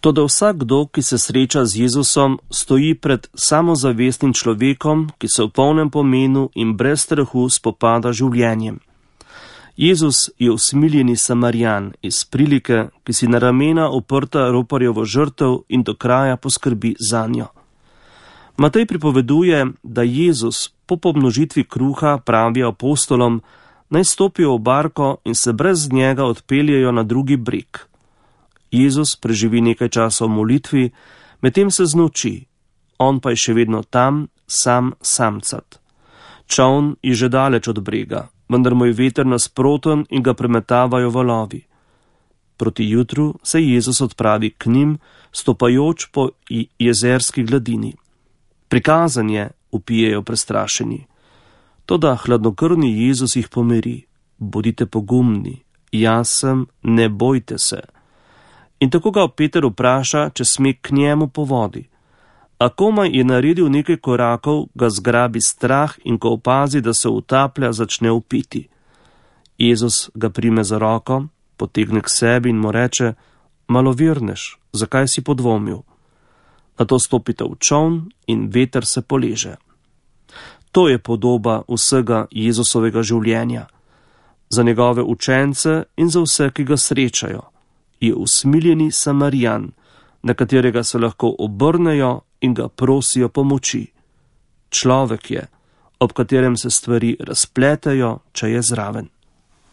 Toda vsakdo, ki se sreča z Jezusom, stoji pred samozavestnim človekom, ki se v polnem pomenu in brez strahu spopada z življenjem. Jezus je usmiljeni Samarijan iz prilike, ki si na ramena oprta roparjevo žrtev in do kraja poskrbi zanjo. Matej pripoveduje, da Jezus po pomnožitvi kruha pravi apostolom, naj stopijo v barko in se brez njega odpeljejo na drugi breg. Jezus preživi nekaj časa v molitvi, medtem se znoči, on pa je še vedno tam, samcat. Čoln je že daleč od brega, vendar mu je veter nasproten in ga premetavajo valovi. Proti jutru se Jezus odpravi k njim, stopajoč po jezerski gladini. Prikazan je, vpijejo prestrašeni. Toda hladnokrvni Jezus jih pomiri. Bodite pogumni, jaz sem, ne bojte se. In tako ga Peter vpraša, če sme k njemu po vodi. A komaj je naredil nekaj korakov, ga zgrabi strah in ko opazi, da se utaplja, začne vpiti. Jezus ga prime za roko, potegne k sebi in mu reče, malovernež, zakaj si podvomil? Nato stopite v čoln in veter se poleže. To je podoba vsega Jezusovega življenja. Za njegove učence in za vse, ki ga srečajo, je usmiljeni Samarijan, na katerega se lahko obrnejo in ga prosijo pomoči. Človek je, ob katerem se stvari razpletejo, če je zraven.